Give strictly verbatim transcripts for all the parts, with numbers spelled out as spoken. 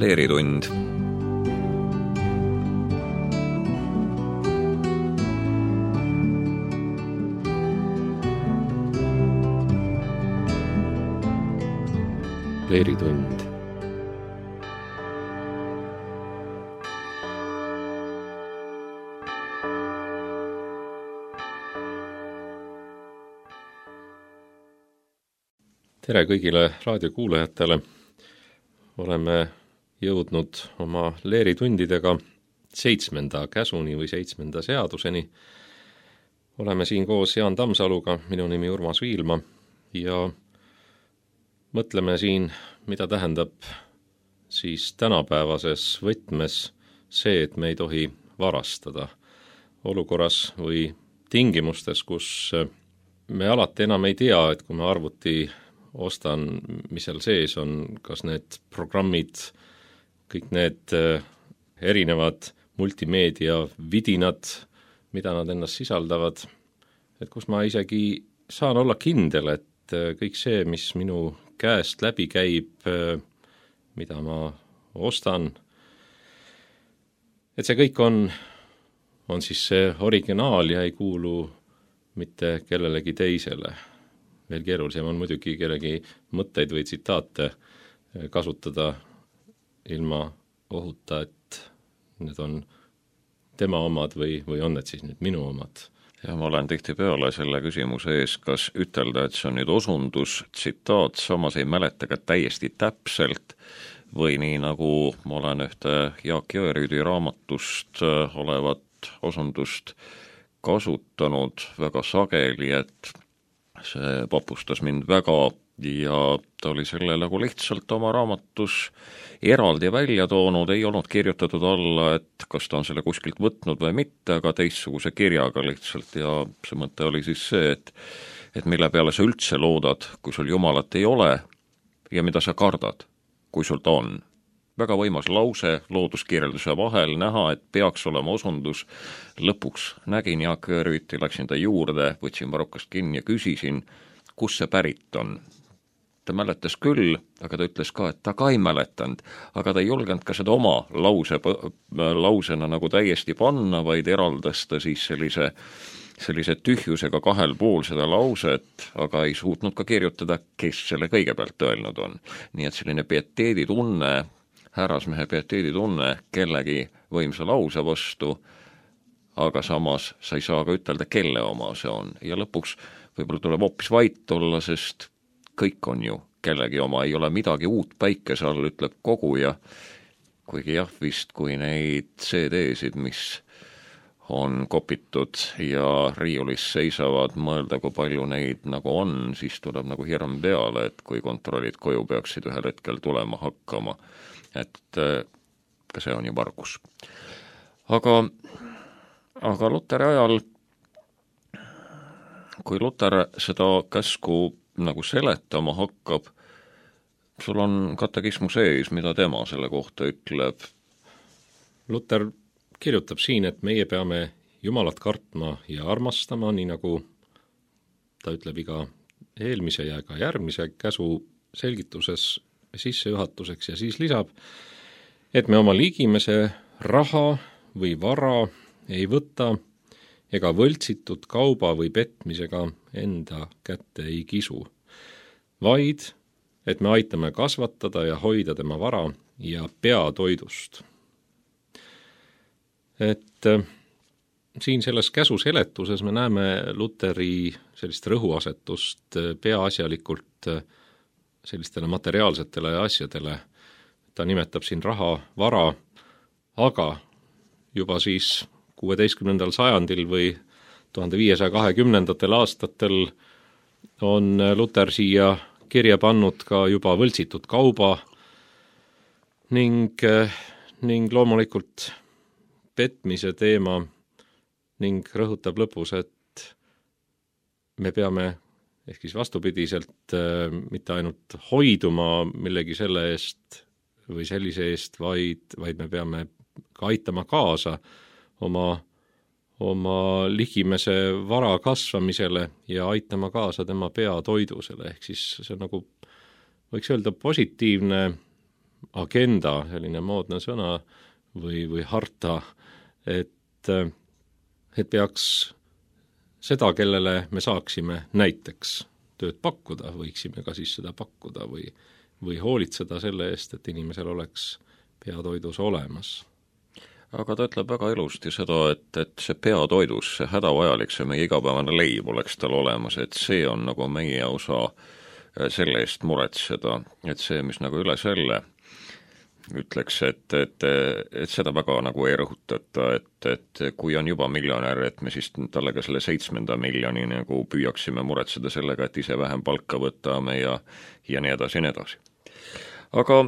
Leeritund. Leeritund. Tere kõigile raadiokuulajatele. Oleme jõudnud oma leeritundidega seitsmenda käsuni või seitsmenda seaduseni. Oleme siin koos Jaan Tammsaluga, minu nimi Urmas Viilma, ja mõtleme siin, mida tähendab siis tänapäevases võtmes see, et me ei tohi varastada olukorras või tingimustes, kus me alati enam ei tea, et kui me arvuti ostan, mis seal sees on, kas need programmid, kõik need erinevad multimeedia vidinad, mida nad ennast sisaldavad, et kus ma isegi saan olla kindel, et kõik see, mis minu käest läbi käib, mida ma ostan, et see kõik on, on siis see originaal ja ei kuulu mitte kellelegi teisele. Veel keerulisem on muidugi kellegi mõtteid või tsitaate kasutada ilma ohuta, et need on tema omad või, või on need siis nüüd minu omad. Ja ma olen tihtipeale selle küsimuse ees, kas ütelda, et see on nüüd osundus, tsitaat, samas ei mäleta ka täiesti täpselt, või nii nagu ma olen ühte Jaak Jõerüüdi raamatust olevat osundust kasutanud väga sageli, et see papustas mind väga ja ta oli selle nagu lihtsalt oma raamatus eraldi välja toonud, ei olnud kirjutatud alla, et kas ta on selle kuskilt võtnud või mitte, aga teistsuguse kirjaga lihtsalt ja see mõte oli siis see, et, et mille peale sa üldse loodad, kui sul Jumalat ei ole ja mida sa kardad, kui sul ta on. Väga võimas lause looduskirjelduse vahel näha, et peaks olema osundus. Lõpuks nägin Jaak Jõerüüti, läksin ta juurde, võtsin varrukast kinni ja küsisin, kus see pärit on. Ta mäletas küll, aga ta ütles ka, et ta ka ei mäletanud, aga ta ei julgenud ka seda oma lause, lausena nagu täiesti panna, vaid eraldas ta siis sellise, sellise tühjusega kahel pool seda lauset, aga ei suutnud ka kirjutada, kes selle kõigepealt öelnud on. Nii et selline pieteedi tunne, härrasmehe pieteedi tunne kellegi võimsa lause vastu, aga samas sa ei saa ka ütelda, kelle oma see on. Ja lõpuks võib-olla tuleb hoopis vait olla, sest kõik on ju kellegi oma, ei ole midagi uut päikese all, ütleb koguja, kuigi jah, vist kui neid C D-sid, mis on kopitud ja riiulis seisavad, mõelda, kui palju neid nagu on, siis tuleb nagu hirm peale, et kui kontrollid koju peaksid ühel hetkel tulema hakkama, et ka see on ju vargus. Aga, aga Luteri ajal, kui Luter seda käsku nagu seletama hakkab, sul on katekismu sees, mida tema selle kohta ütleb? Luter kirjutab siin, et meie peame Jumalat kartma ja armastama, nii nagu ta ütleb iga eelmise ja ka järgmise käsu selgituses sissejuhatuseks ja siis lisab, et me oma ligimese raha või vara ei võta ega võltsitud kauba või petmisega enda kätte ei kisu, vaid et me aitame kasvatada ja hoida tema vara ja peatoidust. Et äh, siin selles käsu seletuses me näeme Luteri sellist rõhuasetust äh, peaasjalikult äh, sellistele materiaalsetele asjadele. Ta nimetab siin raha, vara, aga juba siis kuueteistkümnendal sajandil või tuhande viiesaja kahekümnendatel aastatel on Luter siia kirja pannud ka juba võltsitud kauba ning, ning loomulikult petmise teema ning rõhutab lõpus, et me peame ehk siis vastupidiselt äh, mitte ainult hoiduma millegi selle eest või sellise eest, vaid, vaid me peame ka aitama kaasa oma, oma ligimese vara kasvamisele ja aitama kaasa tema peatoidusele. Ehk siis see on nagu, võiks öelda, positiivne agenda, selline moodne sõna või, või harta, et, et peaks seda, kellele me saaksime näiteks tööd pakkuda, võiksime ka siis seda pakkuda või, või hoolitseda selle eest, et inimesel oleks peatoidus olemas. Aga ta ütleb väga ilusti seda, et, et see peatoidus, see hädavajalik, see meie igapäevane leib oleks tal olemas, et see on nagu meie osa selle eest muretseda, et see, mis nagu üle selle ütleks, et, et, et seda väga nagu ei rõhutata, et, et kui on juba miljonär, et me siis talle ka selle seitsmenda miljoni nagu püüaksime muretseda sellega, et ise vähem palka võtame ja, ja nii edasi ja nii edasi. Aga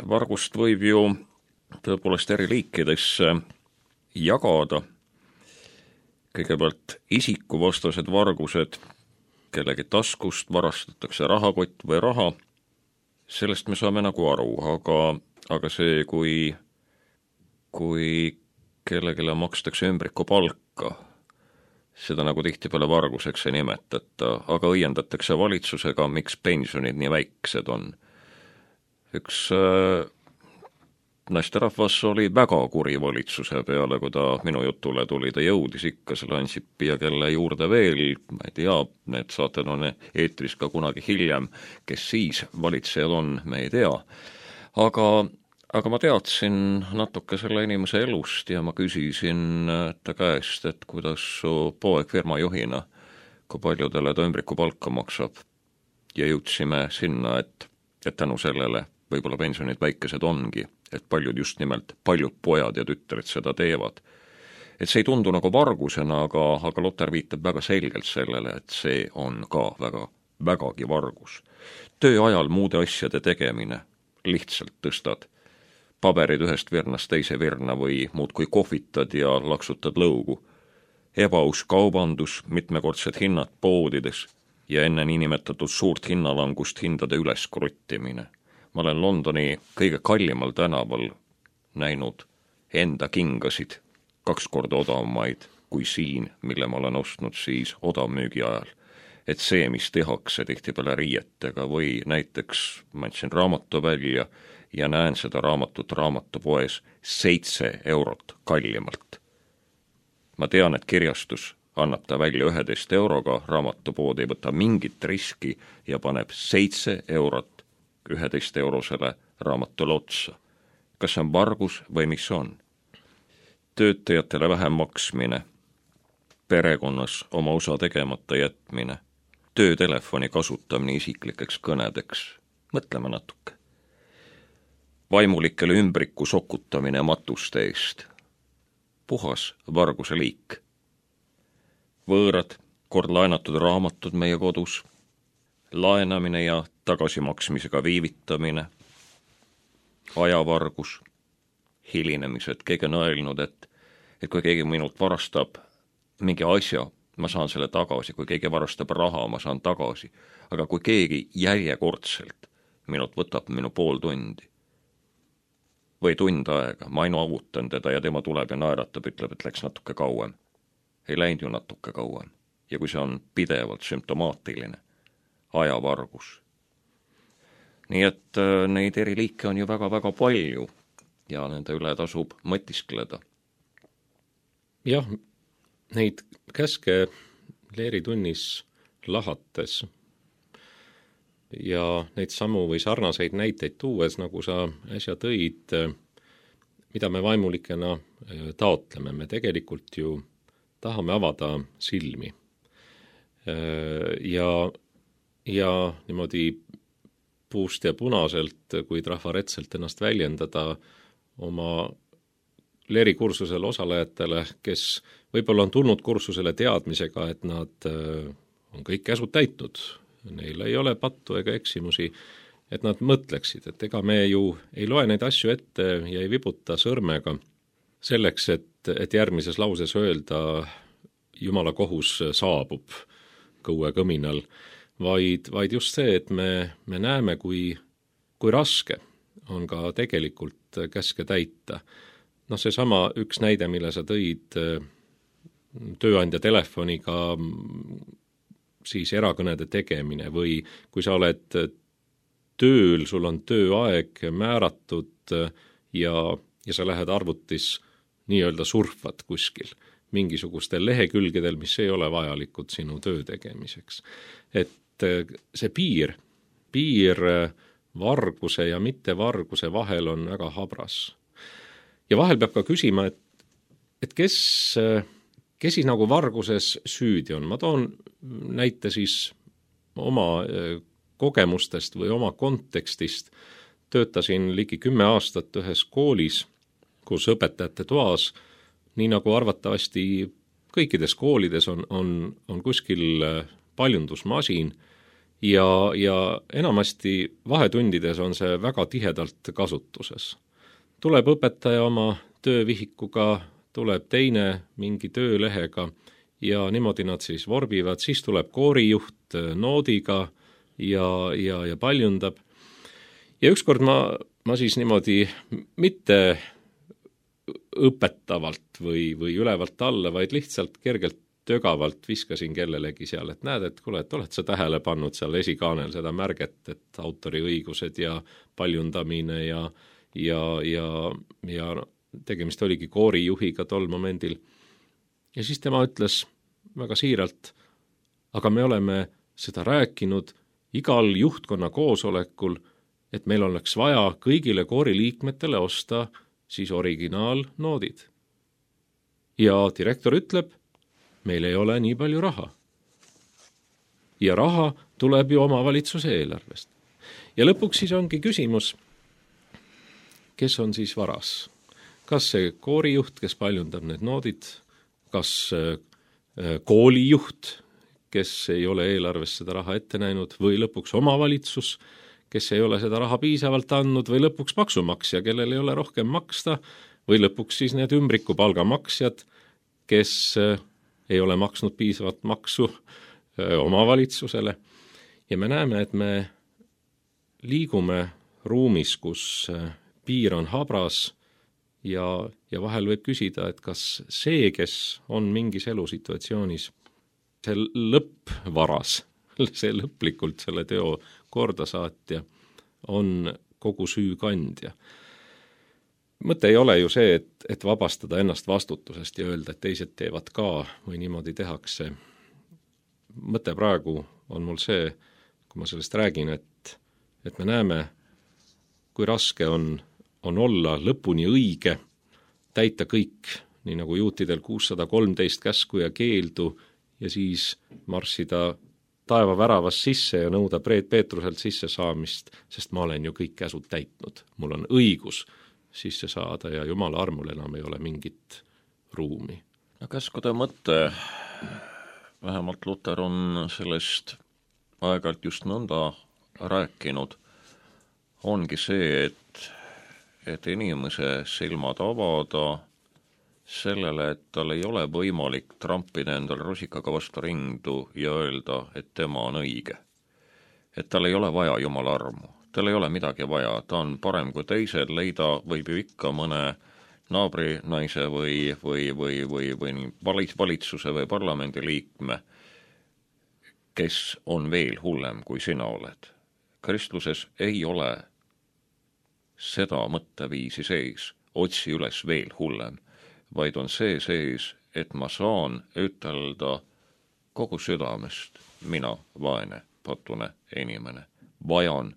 vargust võib ju tõepoolest eri liikidesse jagada. Kõigepealt isikuvastased vargused, kellegi taskust varastatakse rahakott või raha, sellest me saame nagu aru, aga, aga see, kui, kui kellegile makstakse ümbrikupalka, seda nagu tihtipeale varguseks ei nimetata, aga õiendatakse valitsusega, miks pensionid nii väiksed on. Üks äh, naisterahvas oli väga kuri valitsuse peale, kui ta minu jutule tuli, ta jõudis ikka selle Ansipi ja kelle juurde veel, ma ei tea, need saated on eetris ka kunagi hiljem, kes siis valitsejad on, me ei tea. Aga, aga ma teadsin natuke selle inimese elust ja ma küsisin ta käest, et kuidas su poeg firmajuhina, kui paljudele ta ümbrikupalka maksab. Ja jõudsime sinna, et, et tänu sellele võib-olla pensionid väikesed ongi, et paljud just nimelt, paljud pojad ja tütred seda teevad. Et see ei tundu nagu vargusena, aga, aga Lotter viitab väga selgelt sellele, et see on ka väga, vägagi vargus. Töö ajal muude asjade tegemine, lihtsalt tõstad paberid ühest virnast teise virna või muud kui kohvitad ja laksutad lõugu. Ebaaus kaubandus, mitmekordsed hinnad poodides ja enne niinimetatud suurt hinnalangust hindade üles kruttimine. Ma olen Londoni kõige kallimal tänaval näinud enda kingasid kaks korda odavamaid kui siin, mille ma olen ostnud siis odavmüügi ajal. Et see, mis tehakse tihtipeale riietega või näiteks ma andsin raamatu välja ja näen seda raamatut raamatupoes seitse eurot kallimalt. Ma tean, et kirjastus annab ta välja üheteist euroga, raamatupood ei võta mingit riski ja paneb seitse eurot üheteist eurosele raamatule otsa. Kas see on vargus või mis on? Töötajatele vähem maksmine, perekonnas oma osa tegemata jätmine, töötelefoni kasutamine isiklikeks kõnedeks, mõtleme natuke. Vaimulikele ümbriku sokutamine matuste eest, puhas varguse liik. Võõrad, kord laenatud raamatud meie kodus, laenamine ja tagasimaksmisega viivitamine, ajavargus, hilinemised, keegi on öelnud, et, et kui keegi minult varastab mingi asja, ma saan selle tagasi, kui keegi varastab raha, ma saan tagasi, aga kui keegi järjekordselt minult võtab minu pool tundi või tund aega, ma ainu avutan teda ja tema tuleb ja naeratab, ütleb, et läks natuke kauem. Ei läinud ju natuke kauem. Ja kui see on pidevalt sümptomaatiline, ajavargus. Nii et äh, neid eri liike on ju väga-väga palju ja nende üle tasub mõtiskleda. Jah, neid käske leeritunnis lahates ja neid samu või sarnaseid näiteid tuues, nagu sa äsja tõid, mida me vaimulikena taotleme, me tegelikult ju tahame avada silmi. Ja, ja niimoodi puust ja punaselt, kui trafaretselt ennast väljendada oma leerikursusel osalejatele, kes võib-olla on tulnud kursusele teadmisega, et nad on kõik käsud täitnud, neil ei ole pattu ega eksimusi, et nad mõtleksid, et ega me ju ei loe neid asju ette ja ei vibuta sõrmega selleks, et, et järgmises lauses öelda Jumala kohus saabub kõue kõminal, vaid, vaid just see, et me, me näeme, kui, kui raske on ka tegelikult käske täita. Noh, see sama üks näide, mille sa tõid tööandja telefoniga siis erakõnede tegemine või kui sa oled tööl, sul on tööaeg määratud ja, ja sa lähed arvutis nii-öelda surfad kuskil mingisugustel lehekülgedel, mis ei ole vajalikud sinu töö tegemiseks. Et see piir, piir varguse ja mittevarguse vahel on väga habras. Ja vahel peab ka küsima, et, et kes, kes siis nagu varguses süüdi on. Ma toon näite siis oma kogemustest või oma kontekstist. Töötasin ligi kümme aastat ühes koolis, kus õpetajate toas, nii nagu arvatavasti kõikides koolides on, on, on kuskil paljundusmasin ja, ja enamasti vahetundides on see väga tihedalt kasutuses. Tuleb õpetaja oma töövihikuga, tuleb teine mingi töölehega ja niimoodi nad siis vorbivad, siis tuleb koorijuht noodiga ja, ja, ja paljundab. Ja ükskord ma, ma siis niimoodi mitte õpetavalt või, või ülevalt alla, vaid lihtsalt kergelt tögavalt viskasin kellelegi seal, et näed, et kuule, et oled sa tähele pannud seal esikaanel seda märget, et autoriõigused ja paljundamine ja, ja, ja, ja tegemist oligi koorijuhiga tol momendil. Ja siis tema ütles väga siiralt, aga me oleme seda rääkinud igal juhtkonna koosolekul, et meil oleks vaja kõigile kooriliikmetele osta siis originaalnoodid. Ja direktor ütleb, meil ei ole nii palju raha. Ja raha tuleb ju omavalitsuse eelarvest. Ja lõpuks siis ongi küsimus, kes on siis varas? Kas see koorijuht, kes paljundab need noodid, kas koolijuht, kes ei ole eelarvest seda raha ette näinud, või lõpuks omavalitsus, kes ei ole seda raha piisavalt andnud, või lõpuks maksumaksja, kellel ei ole rohkem maksta, või lõpuks siis need ümbriku palgamaksjad, kes ei ole maksnud piisavalt maksu omavalitsusele. Ja me näeme, et me liigume ruumis, kus piir on habras ja, ja vahel võib küsida, et kas see, kes on mingis elusituatsioonis, see lõppvaras, see lõplikult selle teo kordasaatja on kogu süü kandja. Mõte ei ole ju see, et, et vabastada ennast vastutusest ja öelda, et teised teevad ka või niimoodi tehakse. Mõte praegu on mul see, kui ma sellest räägin, et, et me näeme, kui raske on, on olla lõpuni õige, täita kõik, nii nagu juutidel kuussada kolmteist käsku ja keeldu ja siis marssida taeva väravas sisse ja nõuda Preet Peetruselt sisse saamist, sest ma olen ju kõik käsud täitnud. Mul on õigus sisse saada ja Jumala armul enam ei ole mingit ruumi. No käskude mõte, vähemalt Luter on sellest aeg-ajalt just nõnda rääkinud, ongi see, et, et inimese silmad avada sellele, et tal ei ole võimalik trampida endale rusikaga vastu rindu ja öelda, et tema on õige. Et tal ei ole vaja Jumala armu, tal ei ole midagi vaja, ta on parem kui teised, leida võib ju ikka mõne naabri naise või, või, või, või, või valitsuse või parlamendi liikme, kes on veel hullem kui sina oled. Kristluses ei ole seda mõtteviisi sees, otsi üles veel hullem, vaid on see sees, et ma saan ütelda kogu südamest, mina, vaene, patune inimene, vajan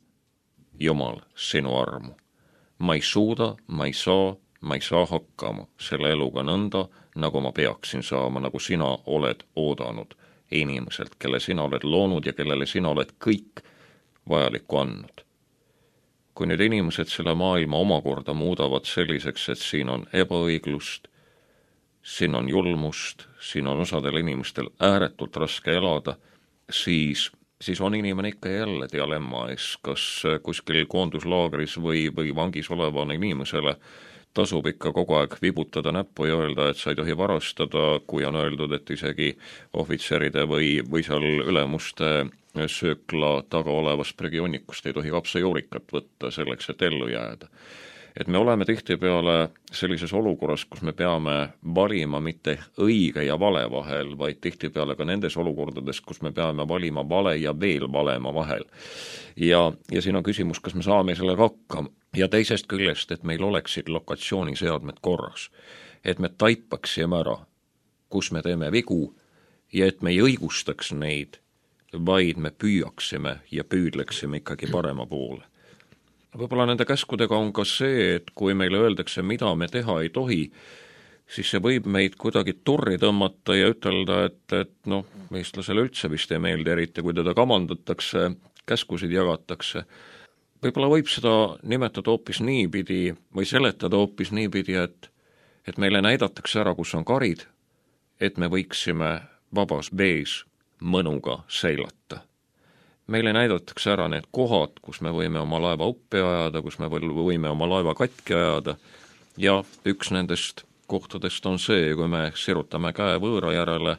Jumal sinu armu. Ma ei suuda, ma ei saa, ma ei saa hakkama selle eluga nõnda, nagu ma peaksin saama, nagu sina oled oodanud inimeselt, kelle sina oled loonud ja kellele sina oled kõik vajalikku andnud. Kui nüüd inimesed selle maailma omakorda muudavad selliseks, et siin on ebaõiglust, siin on julmust, siin on osadel inimestel ääretult raske elada, siis, siis on inimene ikka jälle dialemma ees, kas kuskil koonduslaagris või, või vangis olevane inimesele tasub ikka kogu aeg vibutada näppu ja öelda, et sa ei tohi varastada, kui on öeldud, et isegi ohvitseride või, või seal ülemuste söökla taga olevast prügionnikust ei tohi kapsajuurikat võtta selleks, et ellu jääda. et me oleme tihtipeale sellises olukorras, kus me peame valima mitte õige ja vale vahel, vaid tihtipeale ka nendes olukordades, kus me peame valima vale ja veel valema vahel. Ja, ja siin on küsimus, kas me saame sellega hakkama. Ja teisest küljest, et meil oleksid lokatsiooniseadmed korras. Et me taipaksime ära, kus me teeme vigu ja et me ei õigustaks neid, vaid me püüaksime ja püüdleksime ikkagi parema poole. Võib-olla nende käskudega on ka see, et kui meile öeldakse, mida me teha ei tohi, siis see võib meid kuidagi torri tõmmata ja ütelda, et, et noh, eestlasele üldse vist ei meeldi, eriti kui teda kamandatakse, käskusid jagatakse. Võib-olla võib seda nimetada hoopis niipidi või seletada hoopis niipidi, et, et meile näidatakse ära, kus on karid, et me võiksime vabas vees mõnuga seilata. Meile näidatakse ära need kohad, kus me võime oma laeva uppi ajada, kus me võime oma laeva katki ajada ja üks nendest kohtadest on see, kui me sirutame käe võõra järele,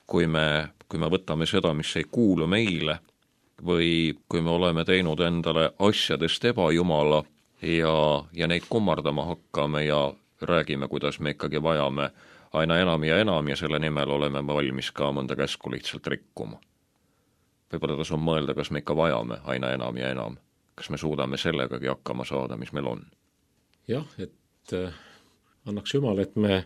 kui me, kui me võtame seda, mis ei kuulu meile või kui me oleme teinud endale asjadest ebajumala ja, ja neid kummardama hakkame ja räägime, kuidas me ikkagi vajame aina enam ja enam ja selle nimel oleme valmis ka mõnda käsku lihtsalt rikkuma. Võib-olla tasub mõelda, kas me ikka vajame aina enam ja enam. Kas me suudame sellegagi hakkama saada, mis meil on? Jah, et äh, annaks jumal, et me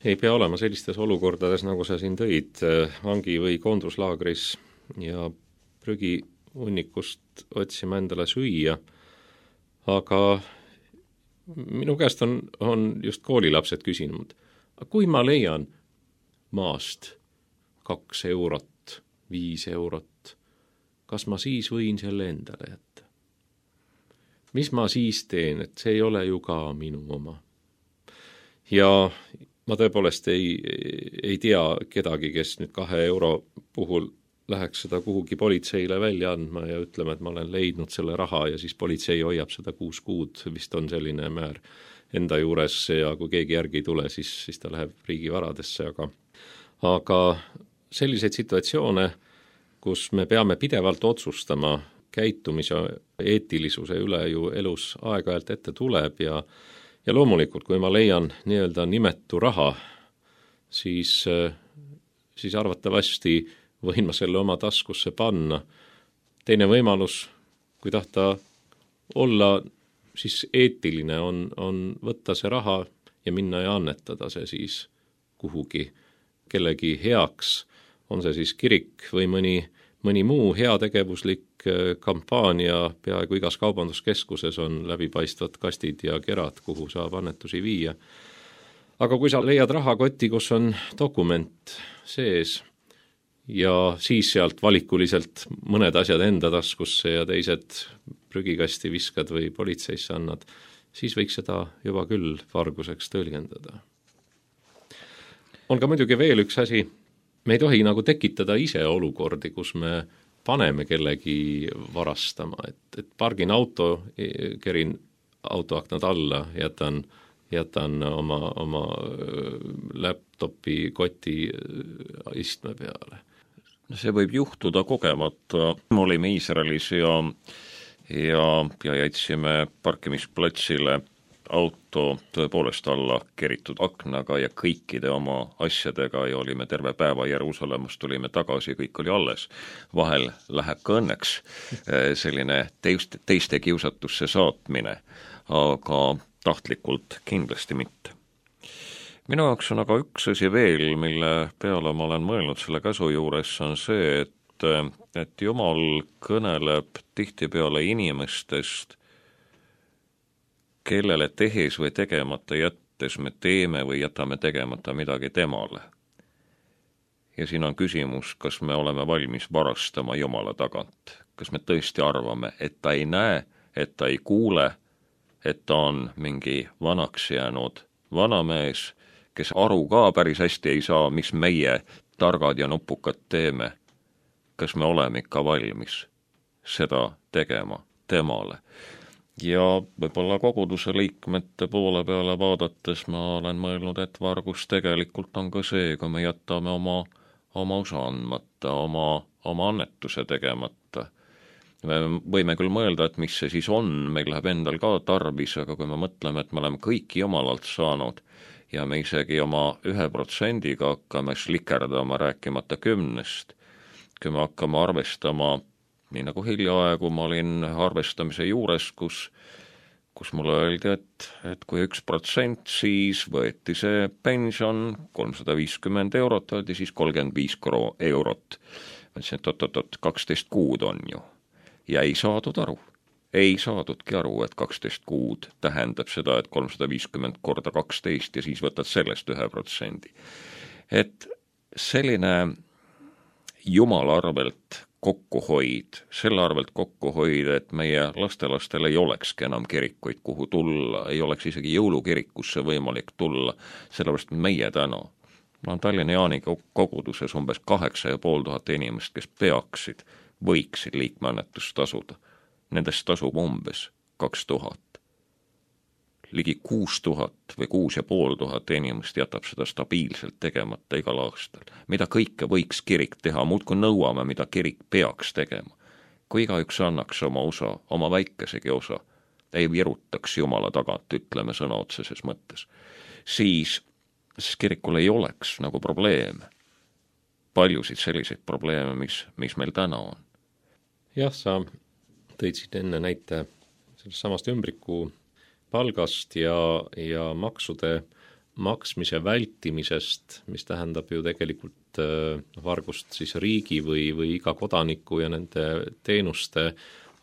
ei pea olema sellistes olukordades, nagu sa siin tõid, äh, vangi- või koonduslaagris ja prügi hunnikust otsima endale süüa. Aga minu käest on, on just koolilapsed küsinud, kui ma leian maast kaks eurot, viis eurot, kas ma siis võin selle endale jätta? Mis ma siis teen, et see ei ole ju ka minu oma? Ja ma tõepoolest ei, ei tea kedagi, kes nüüd kahe euro puhul läheks seda kuhugi politseile välja andma ja ütlema, et ma olen leidnud selle raha ja siis politsei hoiab seda kuus kuud, vist on selline määr enda juures ja kui keegi järgi ei tule, siis, siis ta läheb riigivaradesse, aga, aga selliseid situatsioone, kus me peame pidevalt otsustama käitumise eetilisuse üle ju elus aeg-ajalt ette tuleb ja, ja loomulikult, kui ma leian nii-öelda nimetu raha, siis, siis arvatavasti võin ma selle oma taskusse panna. Teine võimalus, kui tahta olla siis eetiline, on, on võtta see raha ja minna ja annetada see siis kuhugi kellegi heaks, on see siis kirik või mõni, mõni muu heategevuslik kampaania, peaaegu igas kaubanduskeskuses on läbipaistvad kastid ja kerad, kuhu saab annetusi viia. Aga kui sa leiad rahakoti, kus on dokument sees ja siis sealt valikuliselt mõned asjad enda taskusse ja teised prügikasti viskad või politseisse annad, siis võiks seda juba küll varguseks tõlgendada. On ka muidugi veel üks asi, me ei tohi nagu tekitada ise olukordi, kus me paneme kellegi varastama, et, et pargin auto, kerin autoaknad alla, jätan, jätan oma, oma laptopi koti istme peale. See võib juhtuda kogemata. Me olime Iisraelis ja, ja, ja jätsime parkimisplatsile auto tõepoolest alla keritud aknaga ja kõikide oma asjadega ja olime terve päeva Jeruusalemmas, tulime tagasi, kõik oli alles. Vahel läheb ka õnneks selline teiste, teiste kiusatusse saatmine, aga tahtlikult kindlasti mitte. Minu jaoks on aga üks asi veel, mille peale ma olen mõelnud selle käsu juures, on see, et, et Jumal kõneleb tihtipeale inimestest, kellele tehes või tegemata jättes me teeme või jätame tegemata midagi temale. Ja siin on küsimus, kas me oleme valmis varastama Jumala tagant. Kas me tõesti arvame, et ta ei näe, et ta ei kuule, et ta on mingi vanaks jäänud vanamees, kes aru ka päris hästi ei saa, mis meie targad ja nupukad teeme. Kas me oleme ikka valmis seda tegema temale? Ja võib-olla koguduse liikmete poole peale vaadates ma olen mõelnud, et vargus tegelikult on ka see, kui me jätame oma, oma osa andmata, oma, oma annetuse tegemata. me võime küll mõelda, et mis see siis on, meil läheb endal ka tarbis, aga kui me mõtleme, et me oleme kõik jumalalt saanud ja me isegi oma ühe protsendiga hakkame slikerdama, rääkimata kümnest, kui me hakkame arvestama, nii nagu hiljaaegu ma olin arvestamise juures, kus kus mulle öeldi, et, et kui üks protsent, siis võeti see pension kolmsada viiskümmend eurot, öeldi siis kolmkümmend viis eurot. Ma ütlesin, et oot-oot-oot, kaksteist kuud on ju. Ja ei saadud aru. Ei saadudki aru, et kaksteist kuud tähendab seda, et kolmsada viiskümmend korda kaksteist ja siis võtad sellest ühe protsendi. Et selline jumala arvelt kokkuhoid, selle arvelt kokkuhoid, et meie lastelastel ei olekski enam kirikuid, kuhu tulla, ei oleks isegi jõulukirikusse võimalik tulla, sellepärast meie täna. Ma on Tallinna Jaani koguduses umbes kaheksa ja pool tuhat inimest, kes peaksid, võiksid liikmeannetust tasuda. Nendest tasub umbes kaks tuhat. Ligi kuus tuhat või kuus ja pool tuhat inimest jätab seda stabiilselt tegemata igal aastal. Mida kõike võiks kirik teha, muudkui nõuame, mida kirik peaks tegema. Kui igaüks annaks oma osa, oma väikesegi osa, ei virutaks jumala tagant, ütleme sõna otseses mõttes, siis, siis kirikul ei oleks nagu probleeme. Paljusid selliseid probleeme, mis, mis meil täna on. Jah, sa tõid siit enne näite sellest samast ümbriku palgast ja, ja maksude maksmise vältimisest, mis tähendab ju tegelikult vargust siis riigi või, või iga kodaniku ja nende teenuste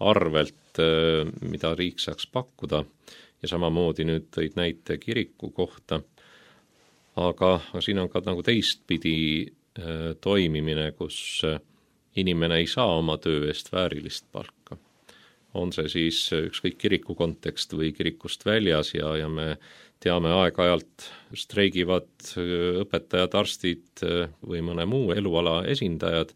arvelt, mida riik saaks pakkuda. Ja samamoodi nüüd tõid näite kiriku kohta. Aga, aga siin on ka nagu teistpidi toimimine, kus inimene ei saa oma töö eest väärilist palka. On see siis ükskõik kiriku kontekst või kirikust väljas ja, ja me teame aeg-ajalt streigivad õpetajad, arstid või mõne muu eluala esindajad.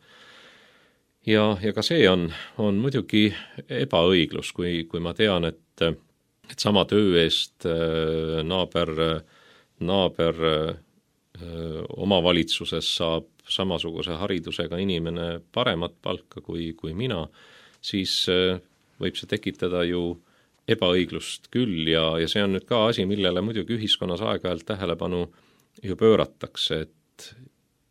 Ja, ja ka see on, on muidugi ebaõiglus, kui, kui ma tean, et, et sama töö eest naaber, naaber omavalitsuses saab samasuguse haridusega inimene paremat palka kui, kui mina, siis võib see tekitada ju ebaõiglust küll ja, ja see on nüüd ka asi, millele muidugi ühiskonnas aeg-ajalt tähelepanu ju pööratakse, et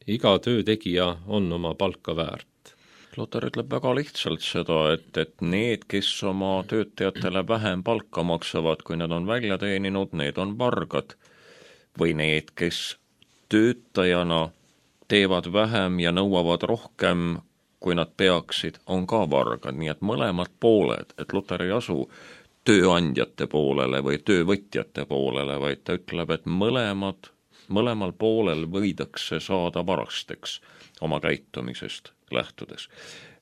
iga töötegija on oma palka väärt. Luter ütleb väga lihtsalt seda, et, et need, kes oma töötajatele vähem palka maksavad, kui nad on välja teeninud, need on vargad. Või need, kes töötajana teevad vähem ja nõuavad rohkem, kui nad peaksid, on ka vargad, nii et mõlemad pooled, et Luter ei asu tööandjate poolele või töövõtjate poolele, vaid ta ütleb, et mõlemad, mõlemal poolel võidakse saada varasteks oma käitumisest lähtudes.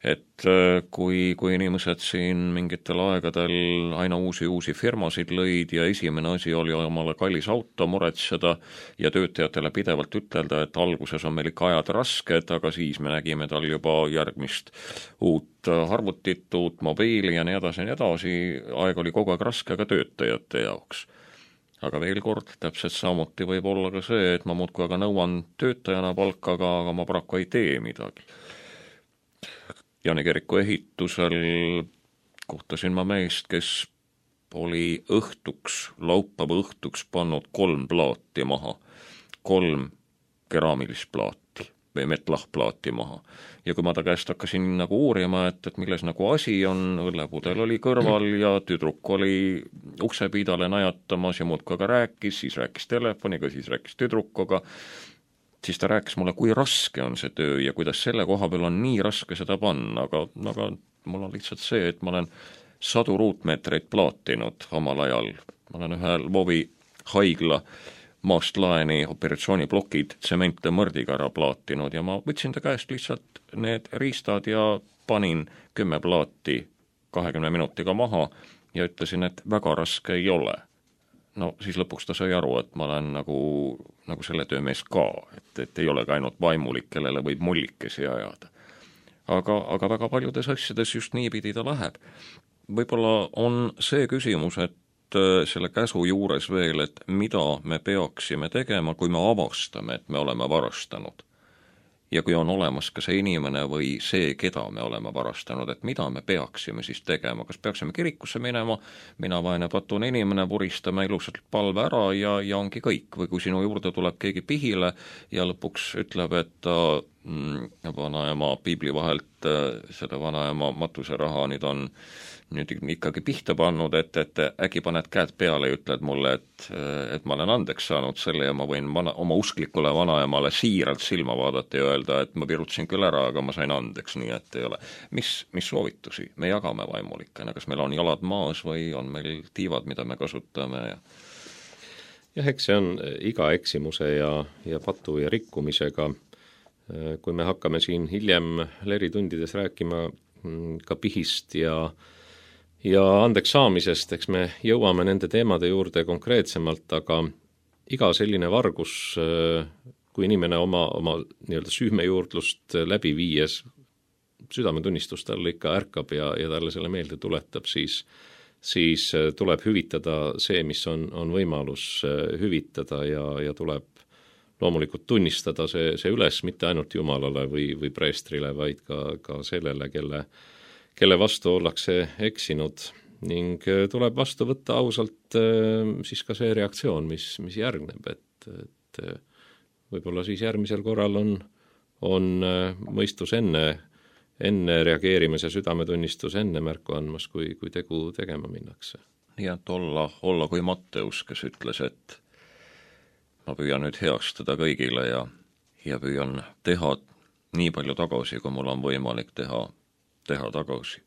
Et kui, kui inimesed siin mingitel aegadel aina uusi uusi firmasid lõid ja esimene asi oli omale kallis auto muretseda ja töötajatele pidevalt ütelda, et alguses on meil ikka ajad rasked, aga siis me nägime tal juba järgmist uut arvutit, uut mobiili ja nii edasi ja nii edasi, aeg oli kogu aeg raske ka töötajate jaoks. Aga veel kord, täpselt samuti võib olla ka see, et ma muudkui aga nõuan töötajana palkaga, aga ma paraku ei tee midagi. Jaani kiriku ehitusel kohtasin ma meest, kes oli õhtuks, laupäeva õhtuks pannud kolm plaati maha, kolm keraamilist plaati või metlahplaati maha. Ja kui ma ta käest hakkasin nagu uurima, et, et milles nagu asi on, õllepudel oli kõrval ja tüdruk oli uksepiidale najatamas ja muudkui aga rääkis, siis rääkis telefoniga, siis rääkis tüdrukoga, siis ta rääkis mulle, kui raske on see töö ja kuidas selle koha peal on nii raske seda panna, aga, aga mul on lihtsalt see, et ma olen sadu ruutmeetreid plaatinud omal ajal. Ma olen ühe Lvovi haigla maast laeni operatsiooniplokid tsemente mõrdiga ära plaatinud ja ma võtsin ta käest lihtsalt need riistad ja panin kümme plaati kahekümne minutiga maha ja ütlesin, et väga raske ei ole. No siis lõpuks ta sai aru, et ma olen nagu, nagu selle töömees ka, et, et ei ole ka ainult vaimulik, kellele võib mullikesi ajada. Aga, aga väga paljudes asjades just niipidi ta läheb. Võib-olla on see küsimus, et selle käsu juures veel, et mida me peaksime tegema, kui me avastame, et me oleme varastanud. ja kui on olemas ka see inimene või see, keda me oleme varastanud, et mida me peaksime siis tegema, kas peaksime kirikusse minema, mina vaene patune inimene, puristame ilusalt palve ära ja, ja ongi kõik, või kui sinu juurde tuleb keegi pihile ja lõpuks ütleb, et ta mm, vanaema piibli vahelt selle vanaema matuseraha nüüd on nüüd ikkagi pihta pannud, et, et äkki paned käed peale ja ütled mulle, et, et ma olen andeks saanud selle ja ma võin vana, oma usklikule vanaemale siiralt silma vaadata ja öelda, et ma virutasin küll ära, aga ma sain andeks, nii et ei ole. Mis, mis soovitusi me jagame vaimulikena, kas meil on jalad maas või on meil tiivad, mida me kasutame ja jah, eks see on iga eksimuse ja, ja patu ja rikkumisega. Kui me hakkame siin hiljem leritundides rääkima ka pihist ja ja andeks saamisest, eks me jõuame nende teemade juurde konkreetsemalt, aga iga selline vargus, kui inimene oma, oma nii-öelda süümejuurdlust läbi viies, südametunnistus talle ikka ärkab ja, ja talle selle meelde tuletab, siis, siis tuleb hüvitada see, mis on, on võimalus hüvitada ja, ja tuleb loomulikult tunnistada see, see üles mitte ainult Jumalale või, või preestrile, vaid ka, ka sellele, kelle kelle vastu ollakse eksinud ning tuleb vastu võtta ausalt siis ka see reaktsioon, mis, mis järgneb, et, et võib-olla siis järgmisel korral on, on mõistus enne, enne reageerimise südametunnistus enne märku andmas, kui, kui tegu tegema minnakse. Nii et olla, olla kui Matteus, kes ütles, et ma püüan nüüd heastada kõigile ja, ja püüan teha nii palju tagasi, kui mul on võimalik teha teha tagasi.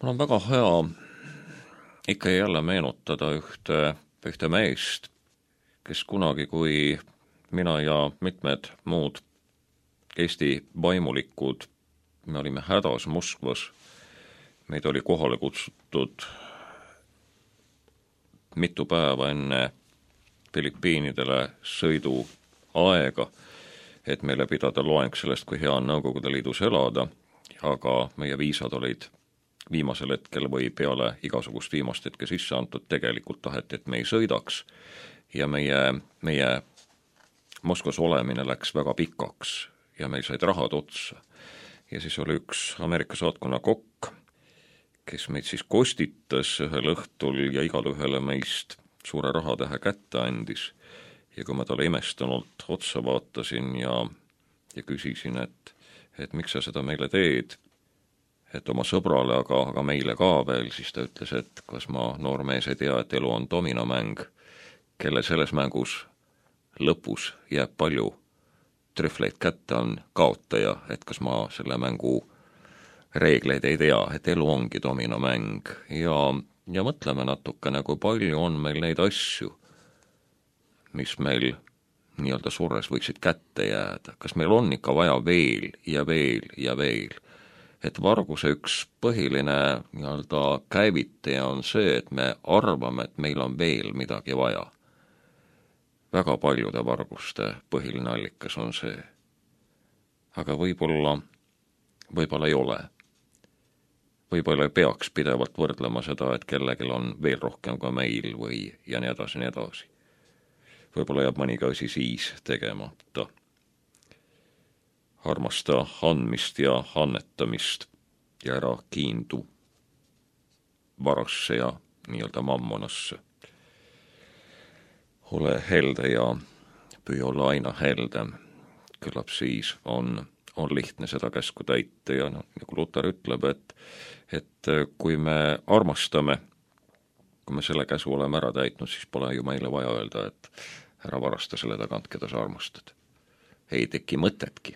Mul on väga hea ikka jälle meenutada ühte, ühte meest, kes kunagi, kui mina ja mitmed muud Eesti vaimulikud, me olime hädas Moskvas, meid oli kohale kutsutud mitu päeva enne Filipiinidele sõidu aega, et meile pidada loeng sellest, kui hea on Nõukogude Liidus elada, aga meie viisad olid viimasel hetkel või peale igasugust viimast hetke sisse antud, tegelikult taheti, et me ei sõidaks ja meie, meie Moskvas olemine läks väga pikaks ja meil said rahad otsa. Ja siis oli üks Ameerika saatkonna kokk, kes meid siis kostitas ühel õhtul ja igal ühele meist suure rahatähe kätte andis ja kui ma talle imestunult otsa vaatasin ja, ja küsisin, et et miks sa seda meile teed, et oma sõbrale, aga, aga meile ka veel, siis ta ütles, et kas ma noormees ei tea, et elu on dominomäng, kelle selles mängus lõpus jääb palju trühvleid kätte, on kaotaja, et kas ma selle mängu reegleid ei tea, et elu ongi dominomäng ja, ja mõtleme natukene, kui palju on meil neid asju, mis meil nii-öelda surres võiksid kätte jääda. Kas meil on ikka vaja veel ja veel ja veel? Et varguse üks põhiline nii-öelda käivitaja on see, et me arvame, et meil on veel midagi vaja. Väga paljude varguste põhiline allikas on see. Aga võib-olla, võib-olla ei ole. Võib-olla ei peaks pidevalt võrdlema seda, et kellelgi on veel rohkem kui meil või ja nii edasi, nii edasi. Võib-olla jääb mõniga asi siis tegemata. Armasta andmist ja annetamist ja ära kiindu varasse ja nii-öelda mammonasse. Ole helde ja püü olla aina heldem. Küllap siis on, on lihtne seda käsku täita ja no, nagu Luter ütleb, et, et kui me armastame, kui me selle käsu oleme ära täitnud, siis pole ju meile vaja öelda, et ära varasta selle tagant, keda sa armastad. Ei teki mõtetki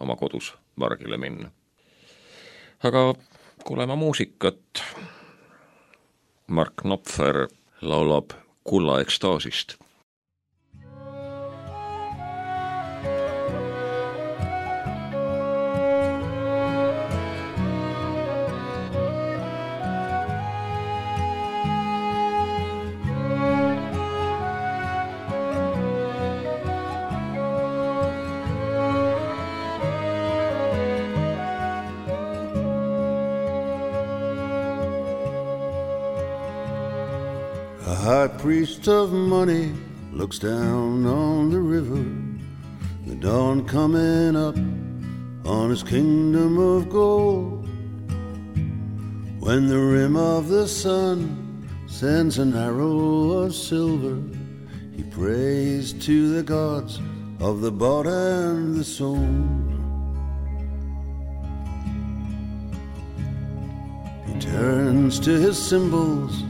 oma kodus vargile minna. Aga kuuleme muusikat. Mark Knopfer laulab Kulla ekstaasist. A high priest of money looks down on the river, the dawn coming up on his kingdom of gold. When the rim of the sun sends an arrow of silver, he prays to the gods of the bought and the sold. He turns to his symbols,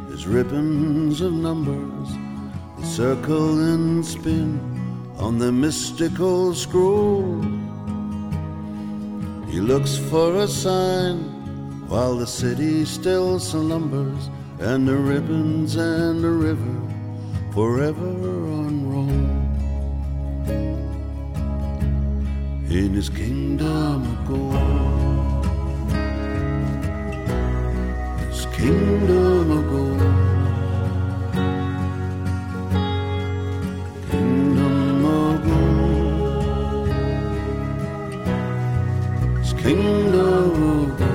his ribbons of numbers, that circle and spin on the mystical scroll. He looks for a sign while the city still slumbers, and the ribbons and the river forever unroll. In his kingdom of gold, his kingdom of gold, kingdom of gold, his kingdom of gold.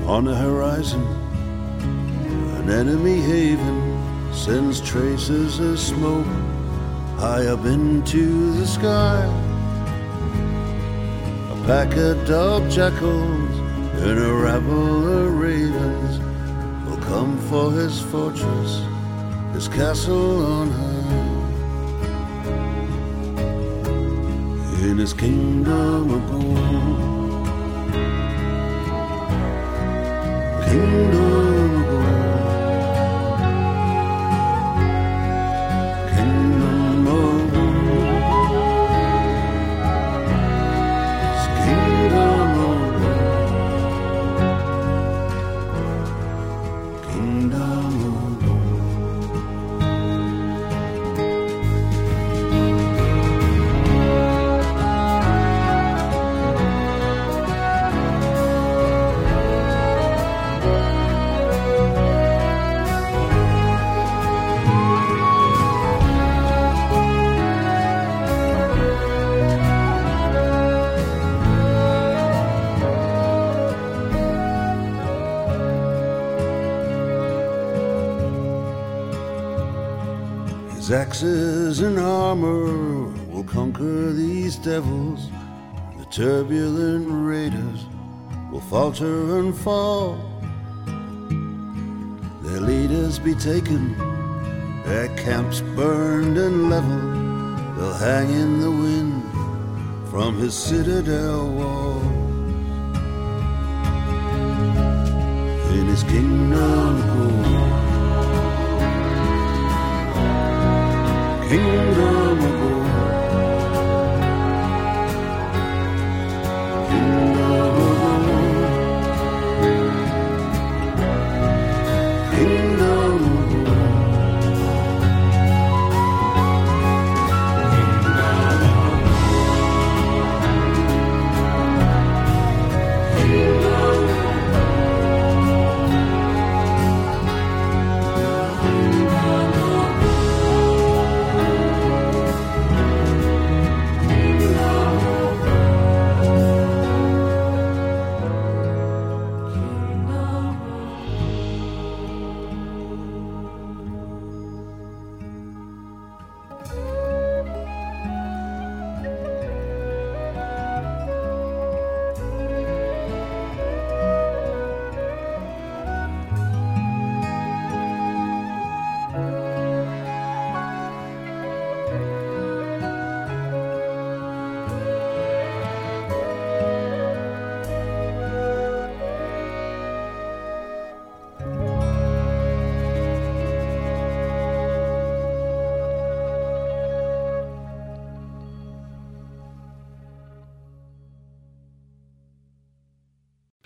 On the horizon, an enemy haven sends traces of smoke high up into the sky. A pack of dog jackals and a rabble of ravens will come for his fortress, his castle on high. In his kingdom of gold, kingdom of gold, kingdom of gold, it's kingdom of gold, kingdom of gold. His axes and armor will conquer these devils. The turbulent raiders will falter and fall. Their leaders be taken, their camps burned and leveled. They'll hang in the wind from his citadel wall. In his kingdom of gold, kingdom of gold, kingdom of gold, kingdom of gold,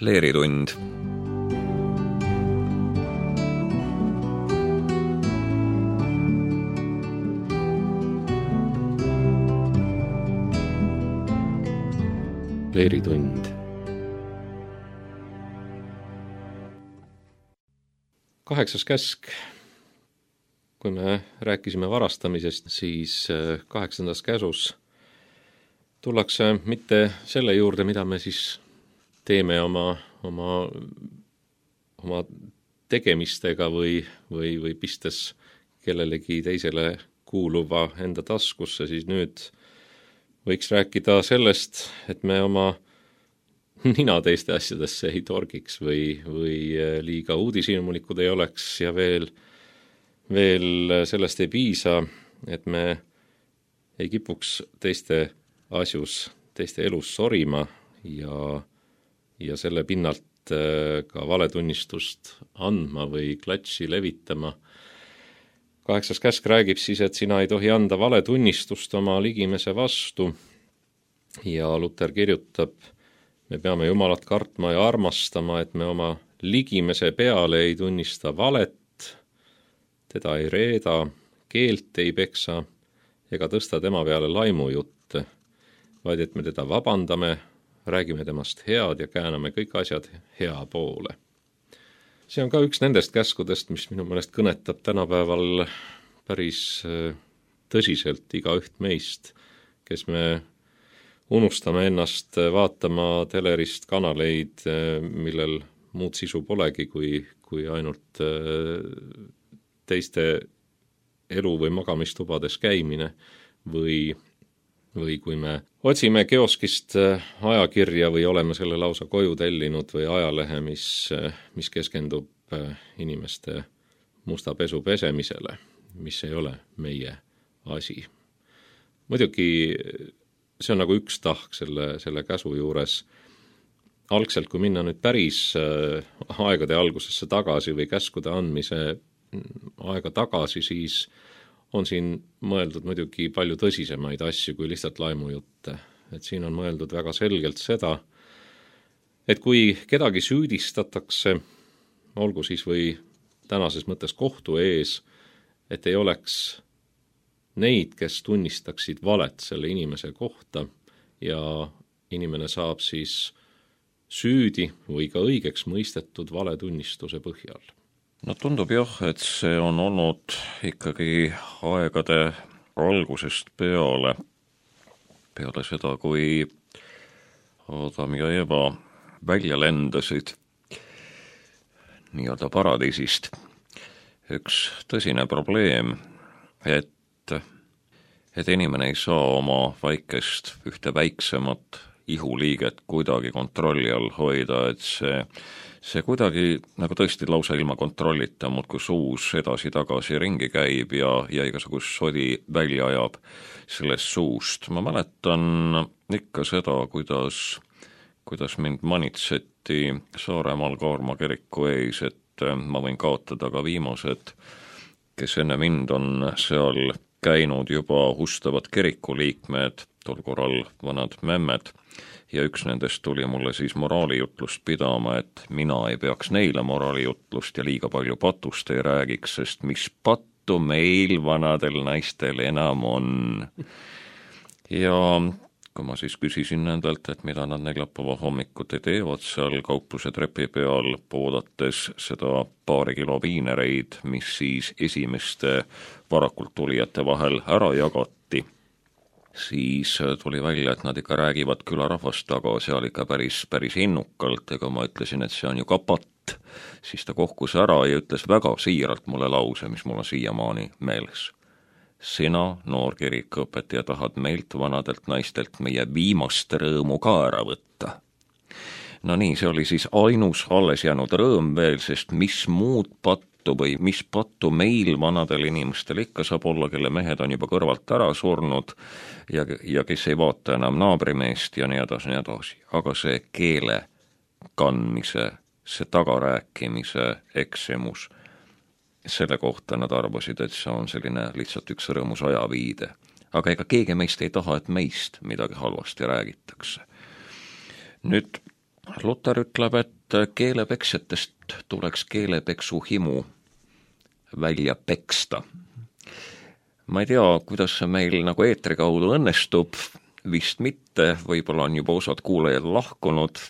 Leeritund. Leeritund. Kaheksas käsk. Kui me rääkisime varastamisest, siis kaheksandas käsus tullakse mitte selle juurde, mida me siis teeme oma, oma, oma tegemistega või, või, või pistes kellelegi teisele kuuluva enda taskusse, siis nüüd võiks rääkida sellest, et me oma nina teiste asjadesse ei torgiks või, või liiga uudishimulikud ei oleks ja veel, veel sellest ei piisa, et me ei kipuks teiste asjus, teiste elus sorima ja, ja selle pinnalt ka valetunnistust andma või klatši levitama. Kaheksas käsk räägib siis, et sina ei tohi anda valetunnistust oma ligimese vastu ja Luther kirjutab, me peame Jumalat kartma ja armastama, et me oma ligimese peale ei tunnista valet, teda ei reeda, keelt ei peksa ega tõsta tema peale laimujutte, vaid et me teda vabandame, räägime temast head ja kääname kõik asjad hea poole. See on ka üks nendest käskudest, mis minu meelest kõnetab tänapäeval päris tõsiselt igaüht meist, kes me unustame ennast vaatama telerist kanaleid, millel muud sisu polegi, kui, kui ainult teiste elu- või magamistubades käimine või või kui me otsime kioskist ajakirja või oleme selle lausa koju tellinud või ajalehe, mis, mis keskendub inimeste musta pesu pesemisele, mis ei ole meie asi. Muidugi see on nagu üks tahk selle, selle käsu juures. Algselt, kui minna nüüd päris aegade algusesse tagasi või käskude andmise aega tagasi, siis on siin mõeldud muidugi palju tõsisemaid asju kui lihtsalt laimujutte. Et siin on mõeldud väga selgelt seda, et kui kedagi süüdistatakse, olgu siis või tänases mõttes kohtu ees, et ei oleks neid, kes tunnistaksid valet selle inimese kohta ja inimene saab siis süüdi või ka õigeks mõistetud valetunnistuse põhjal. No tundub jah, et see on olnud ikkagi aegade algusest peale, peale seda, kui Adam ja Eva välja lendasid nii-öelda paradiisist. Üks tõsine probleem, et, et inimene ei saa oma väikest, ühte väiksemat ihuliiget kuidagi kontrolli all hoida, et see See kuidagi nagu tõesti lausa ilma kontrollita, muudkui suus edasi-tagasi ringi käib ja, ja igasugust sodi välja ajab sellest suust. Ma mäletan ikka seda, kuidas, kuidas mind manitseti Saaremaal Kaarma kiriku ees, et ma võin kaotada ka viimased, kes enne mind on seal käinud juba hustavad kirikuliikmed, tol korral vanad memmed, ja üks nendest tuli mulle siis moraalijutlust pidama, et mina ei peaks neile moraalijutlust ja liiga palju patust ei räägiks, sest mis pattu meil vanadel naistel enam on. Ja kui ma siis küsisin nendelt, et mida nad neljapäeva hommikuti teevad seal kaupluse trepi peal, poodates seda paari kilo viinereid, mis siis esimeste varakult tulijate vahel ära jagati, siis tuli välja, et nad ikka räägivad külarahvast taga seal ikka päris, päris innukalt, ega ma ütlesin, et see on ju ka patt, siis ta kohkus ära ja ütles väga siiralt mulle lause, mis mul on siiamaani meeles. Sina, noor kirikuõpetaja, tahad meilt vanadelt naistelt meie viimast rõõmu ka ära võtta. No nii, see oli siis ainus alles jäänud rõõm veel, sest mis muud pattu või mis pattu meil vanadel inimestel ikka saab olla, kelle mehed on juba kõrvalt ära surnud ja, ja kes ei vaata enam naabrimeest ja nii edasi, nii edasi. Aga see keele kandmise, see tagarääkimise eksimus, selle kohta nad arvasid, et see on selline lihtsalt üks rõõmus ajaviide. Aga ega keegi meist ei taha, et meist midagi halvasti räägitakse. Nüüd Luther ütleb, et keelepeksjatest tuleks keelepeksu himu välja peksta. Ma ei tea, kuidas see meil nagu eetri kaudu õnnestub, vist mitte, võib-olla on juba osad kuulajad lahkunud,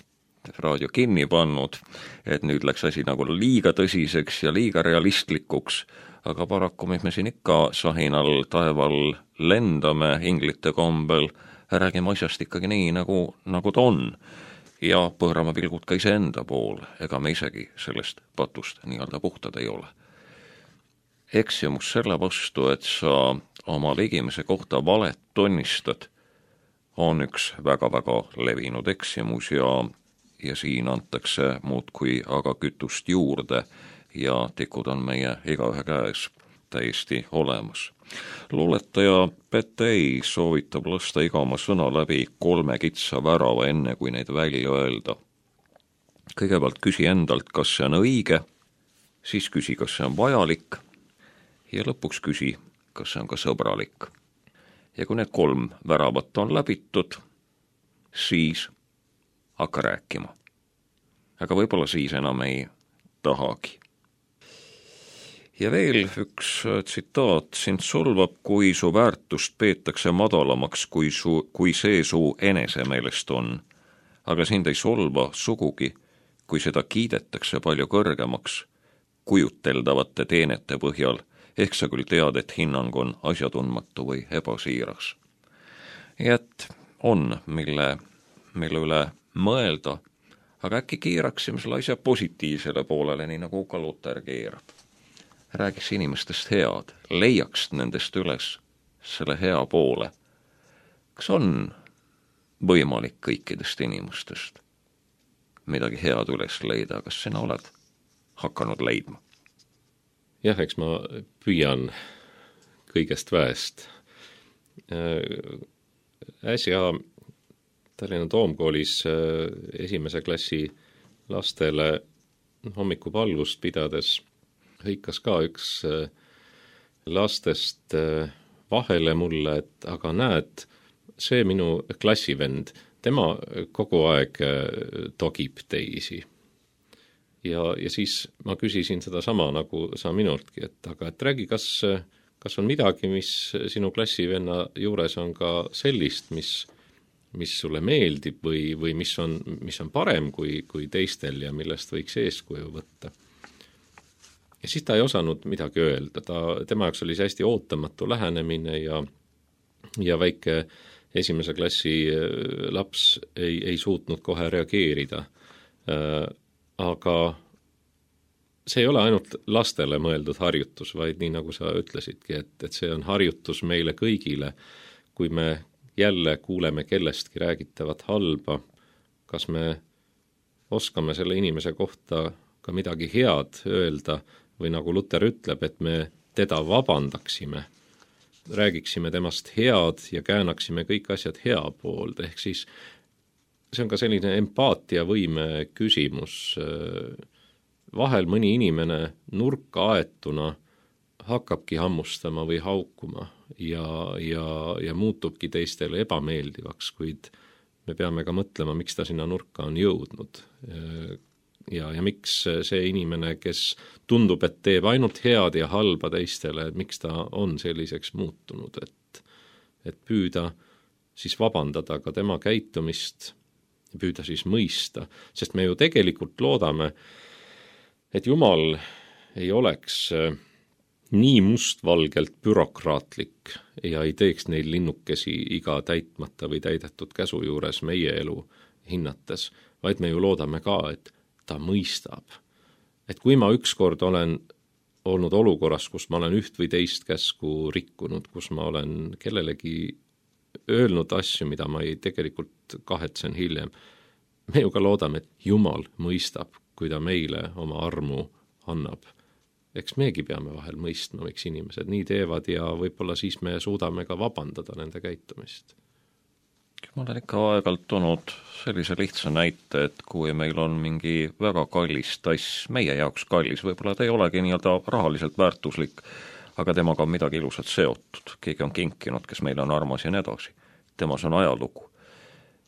raadio kinni pannud, et nüüd läks asi nagu liiga tõsiseks ja liiga realistlikuks, aga paraku me siin ikka sahinal taeval lendame inglite kombel, räägime asjast ikkagi nii, nagu, nagu ta on. Ja põõrame pilgud ka iseenda poole, ega me isegi sellest patust nii-öelda puhtad ei ole. Eksimus selle vastu, et sa oma ligimise kohta valet tunnistad, on üks väga-väga levinud eksimus ja, ja siin antakse muud kui aga kütust juurde ja tikud on meie igaühe käes täiesti olemas. Luuletaja Petei soovitab lasta iga oma sõna läbi kolme kitsa värava enne, kui neid välja öelda. Kõigepealt küsi endalt, kas see on õige, siis küsi, kas see on vajalik ja lõpuks küsi, kas see on ka sõbralik. Ja kui need kolm väravat on läbitud, siis hakka rääkima. Aga võib-olla siis enam ei tahagi. Ja veel üks tsitaat, sind solvab, kui su väärtust peetakse madalamaks, kui, su, kui see su enese meelest on. Aga sind ei solva sugugi, kui seda kiidetakse palju kõrgemaks, kujuteldavate teenete põhjal, ehk sa küll tead, et hinnang on asjatundmatu või ebasiiras. Ja et on, mille, mille üle mõelda, aga äkki keeraksime selle asja positiivsele poolele, nii nagu ka Luter keerab. Räägiks inimestest head, leiaks nendest üles selle hea poole. Kas on võimalik kõikidest inimestest midagi head üles leida, kas sina oled hakanud leidma? Jah, eks ma püüan kõigest väest. Äsja Tallinna Toomkoolis esimese klassi lastele hommikupalvust pidades hõikas ka üks lastest vahele mulle, et aga näed, see minu klassivend, tema kogu aeg togib teisi. Ja, ja siis ma küsisin seda sama nagu sa minultki, et aga et räägi, kas, kas on midagi, mis sinu klassivenna juures on ka sellist, mis, mis sulle meeldib või, või mis, on, mis on parem kui, kui teistel ja millest võiks eeskuju võtta. Ja siis ta ei osanud midagi öelda, ta, tema jaoks oli see hästi ootamatu lähenemine ja, ja väike esimese klassi laps ei, ei suutnud kohe reageerida. Aga see ei ole ainult lastele mõeldud harjutus, vaid nii nagu sa ütlesidki, et, et see on harjutus meile kõigile, kui me jälle kuuleme kellestki räägitavat halba, kas me oskame selle inimese kohta ka midagi head öelda või nagu Luter ütleb, et me teda vabandaksime, räägiksime temast head ja käänaksime kõik asjad hea poolde, ehk siis see on ka selline empaatiavõime küsimus. Vahel mõni inimene nurka aetuna hakkabki hammustama või haukuma ja, ja, ja muutubki teistele ebameeldivaks, kuid me peame ka mõtlema, miks ta sinna nurka on jõudnud. Ja, ja miks see inimene, kes tundub, et teeb ainult head ja halba teistele, et miks ta on selliseks muutunud, et, et püüda siis vabandada ka tema käitumist, püüda siis mõista, sest me ju tegelikult loodame, et Jumal ei oleks nii mustvalgelt bürokraatlik ja ei teeks neil linnukesi iga täitmata või täidetud käsu juures meie elu hinnates, vaid me ju loodame ka, et ta mõistab. Et kui ma ükskord olen olnud olukorras, kus ma olen üht või teist käsku rikkunud, kus ma olen kellelegi öelnud asju, mida ma ei tegelikult kahetsen hiljem. Me ju ka loodame, et Jumal mõistab, kui ta meile oma armu annab. Eks megi peame vahel mõistma, miks inimesed nii teevad ja võib-olla siis me suudame ka vabandada nende käitumist. Ma olen ikka aegalt toonud sellise lihtsa näite, et kui meil on mingi väga kallis tass, meie jaoks kallis, võib-olla ta ei olegi nii-öelda rahaliselt väärtuslik, aga temaga on midagi ilusat seotud. Keegi on kinkinud, kes meile on armas ja nii edasi. Temas on ajalugu.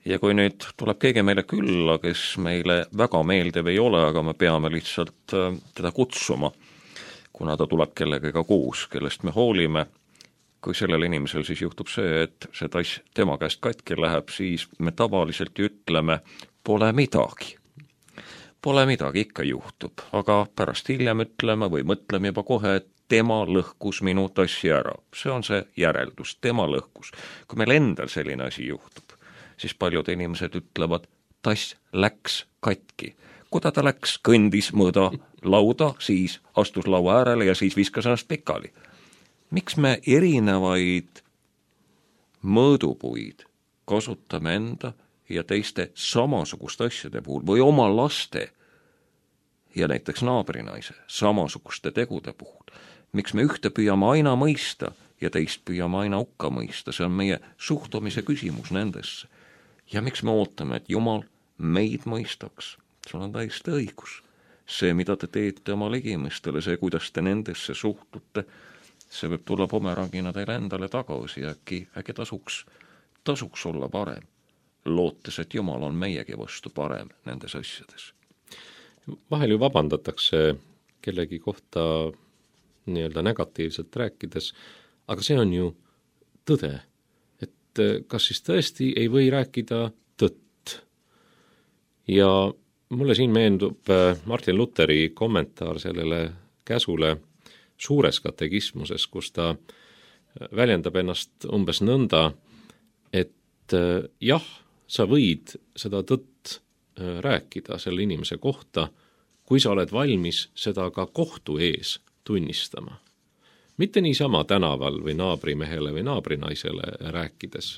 Ja kui nüüd tuleb keegi meile külla, kes meile väga meeldiv ei ole, aga me peame lihtsalt teda kutsuma, kuna ta tuleb kellegagi koos, kellest me hoolime, kui sellel inimesel siis juhtub see, et see tass tema käest katki läheb, siis me tavaliselt ütleme, pole midagi, pole midagi, ikka juhtub, aga pärast hiljem ütleme või mõtleme juba kohe, et tema lõhkus minu tassi ära. See on see järeldus, tema lõhkus. Kui meil endal selline asi juhtub, siis paljud inimesed ütlevad, tass läks katki. Kuda ta läks, kõndis mõõda lauda, siis astus laua äärele ja siis viskas ennast pikali. Miks me erinevaid mõõdupuid kasutame enda ja teiste samasugust asjade puhul või oma laste ja näiteks naabrinaise samasuguste tegude puhul? Miks me ühte püüame aina mõista ja teist püüame aina hukka mõista? See on meie suhtumise küsimus nendesse. Ja miks me ootame, et Jumal meid mõistaks? Sul on täiesti õigus. See, mida te teete oma ligimestele, see, kuidas te nendesse suhtute, see võib tulla pomerangina teile endale tagasi ja äkki, äkki tasuks, tasuks olla parem, lootes, et Jumal on meiegi vastu parem nendes asjades. Vahel ju vabandatakse kellegi kohta nii-öelda negatiivselt rääkides, aga see on ju tõde, et kas siis tõesti ei või rääkida tõtt. Ja mulle siin meendub Martin Lutheri kommentaar sellele käsule suures katekismuses, kus ta väljendab ennast umbes nõnda, et jah, sa võid seda tõtt rääkida selle inimese kohta, kui sa oled valmis seda ka kohtu ees tunnistama. Mitte niisama tänaval või naabrimehele või naabrinaisele rääkides,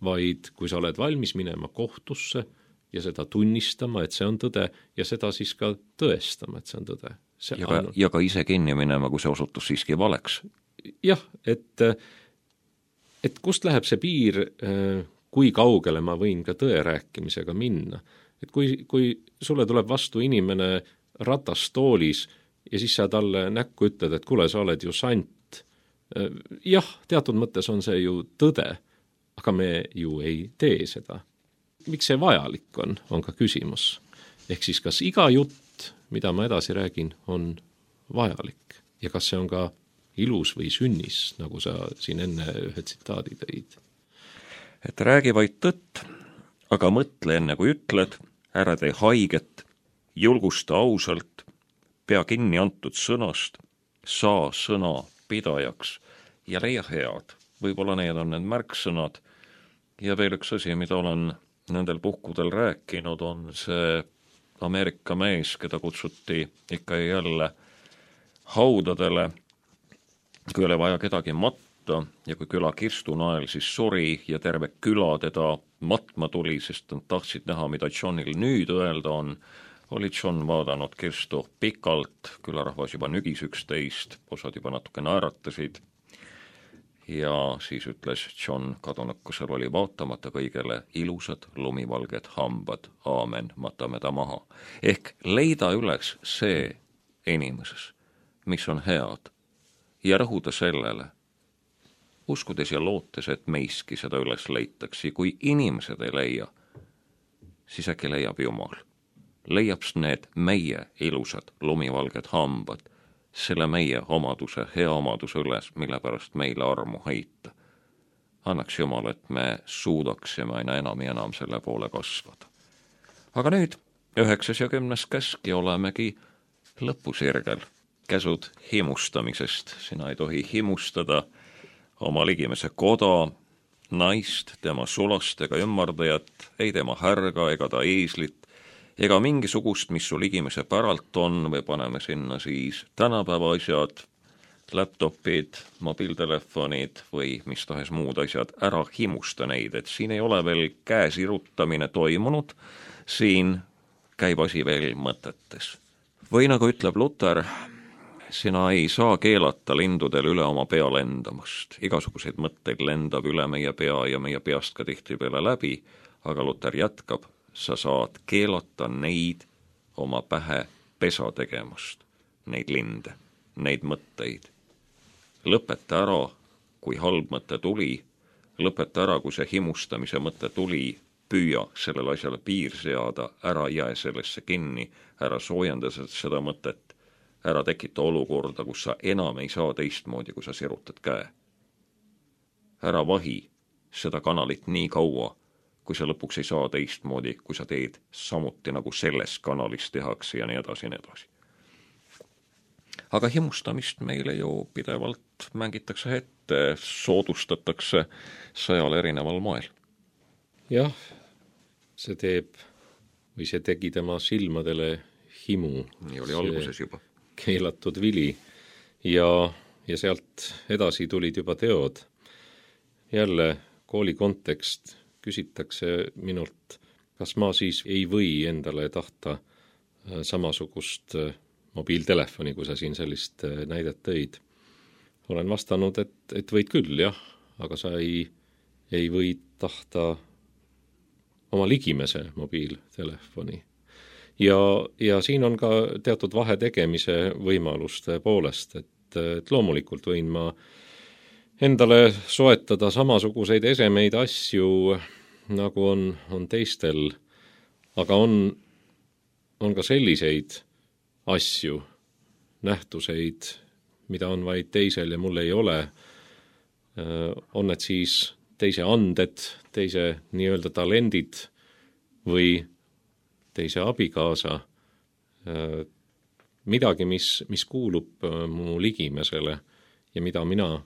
vaid kui sa oled valmis minema kohtusse ja seda tunnistama, et see on tõde, ja seda siis ka tõestama, et see on tõde. See ja, ka, on... ja ka ise kinni minema, kui see osutus siiski valeks. Jah, et, et kust läheb see piir, kui kaugele ma võin ka tõe rääkimisega minna. Et kui, kui sulle tuleb vastu inimene ratastoolis ja siis sa talle näkku ütled, et kuule, sa oled ju sant. Jah, teatud mõttes on see ju tõde, aga me ju ei tee seda. Miks see vajalik on, on ka küsimus. Ehk siis kas iga jutt, mida ma edasi räägin, on vajalik ja kas see on ka ilus või sünnis, nagu sa siin enne ühe tsitaadi tõid. Et räägi vaid tõtt, aga mõtle enne kui ütled, ära tee haiget, julgusta ausalt, pea kinni antud sõnast, saa sõna pidajaks ja leia head. Võib-olla need on need märksõnad. Ja veel üks asi, mida olen nendel puhkudel rääkinud, on see Ameerika mees, keda kutsuti ikka ja jälle haudadele, kui oli vaja kedagi matta ja kui küla kirstunael siis suri ja terve küla teda matma tuli, sest nad tahtsid näha, mida Johnil nüüd öelda on, oli John vaadanud kirstu pikalt, külarahvas juba nügis üksteist, osad juba natuke naeratasid ja siis ütles John kadunukusel oli vaatamata kõigele ilusad lumivalged hambad, aamen, matame ta maha. Ehk leida üles see inimeses, mis on head ja rõhuda sellele, uskudes ja lootes, et meiski seda üles leitakse. Kui inimesed ei leia, siis äkki leiab Jumal. Leiab need meie ilusad lumivalged hambad, selle meie omaduse, hea omaduse üles, mille pärast meile armu heita. Annaks Jumal, et me suudaksime aina enam ja enam selle poole kasvada. Aga nüüd üheksas ja kümnes käsk ja olemegi lõpusirgel. Käsud himustamisest. Sina ei tohi himustada oma ligimese koda, naist, tema sulast ega ümmardajat, ei tema härga ega ta eeslit, ega mingisugust, mis su ligimese päralt on, või paneme sinna siis tänapäeva asjad, laptopid, mobiiltelefonid või mis tahes muud asjad, ära himusta neid, et siin ei ole veel käesirutamine toimunud, siin käib asi veel mõtetes. Või nagu ütleb Luther, sina ei saa keelata lindudel üle oma pea lendamast. Igasuguseid mõtteid lendab üle meie pea ja meie peast ka tihti peale läbi, aga Luther jätkab, sa saad keelata neid oma pähe pesa tegemast, neid linde, neid mõtteid. Lõpeta ära, kui halb mõte tuli, lõpeta ära, kui see himustamise mõte tuli, püüa sellele asjale piir seada, ära jää sellesse kinni, ära soojenda seda mõtet, ära tekita olukorda, kus sa enam ei saa teistmoodi, kui sa sirutad käe. Ära vahi seda kanalit nii kaua, kui sa lõpuks ei saa teistmoodi, kui sa teed samuti nagu selles kanalis tehakse ja nii edasi ja nii edasi. Aga himustamist meile ju pidevalt mängitakse ette, soodustatakse sajal erineval moel. Jah, see teeb või see tegi tema silmadele himu. Nii oli alguses juba. Keelatud vili ja, ja sealt edasi tulid juba teod. Jälle kooli kontekst küsitakse minult, kas ma siis ei või endale tahta samasugust mobiiltelefoni, kui sa siin sellist näidet tõid. Olen vastanud, et, et võid küll, jah, aga sa ei, ei või tahta oma ligimese mobiiltelefoni. Ja, ja siin on ka teatud vahe tegemise võimaluste poolest, et, et loomulikult võin ma endale soetada samasuguseid esemeid asju, nagu on, on teistel, aga on, on ka selliseid asju, nähtuseid, mida on vaid teisel ja mul ei ole. On need siis teise anded, teise nii-öelda talendid või teise abikaasa, midagi, mis, mis kuulub mu ligimesele ja mida mina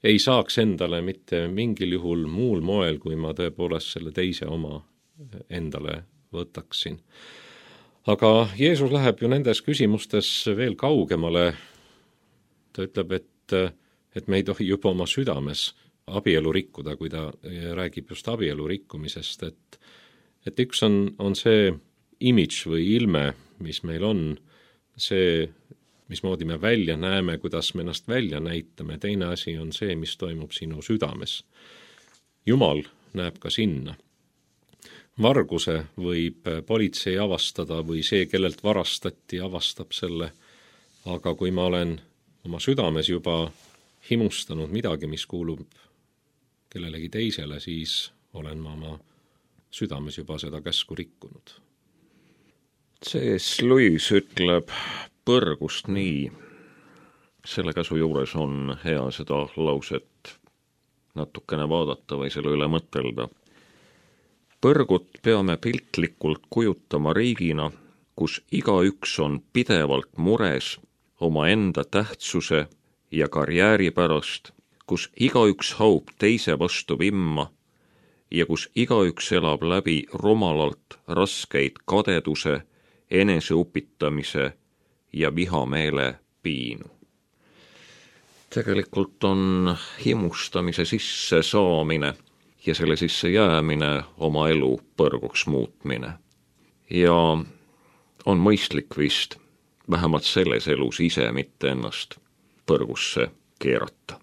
ei saaks endale mitte mingil juhul muul moel, kui ma tõepoolest selle teise oma endale võtaksin. Aga Jeesus läheb ju nendes küsimustes veel kaugemale. Ta ütleb, et, et me ei tohi juba oma südames abielu rikkuda, kui ta räägib just abielu rikkumisest, et, et üks on, on see imidž või ilme, mis meil on, see, mismoodi me välja näeme, kuidas me ennast välja näitame, teine asi on see, mis toimub sinu südames. Jumal näeb ka sinna. Varguse võib politsei avastada või see, kellelt varastati, avastab selle, aga kui ma olen oma südames juba himustanud midagi, mis kuulub kellelegi teisele, siis olen ma oma südames juba seda käsku rikkunud. C S. Lewis ütleb põrgust nii. Selle käsu juures on hea seda lauset natukene vaadata või selle üle mõtelda. Põrgut peame piltlikult kujutama riigina, kus igaüks on pidevalt mures oma enda tähtsuse ja karjääri pärast, kus igaüks haub teise vastu vimma ja kus igaüks elab läbi rumalalt raskeid kadeduse, eneseupitamise ja vihameele piinu. Tegelikult on himustamise sisse saamine ja selle sisse jäämine oma elu põrguks muutmine. Ja on mõistlik vist vähemalt selles elus ise mitte ennast põrgusse keerata.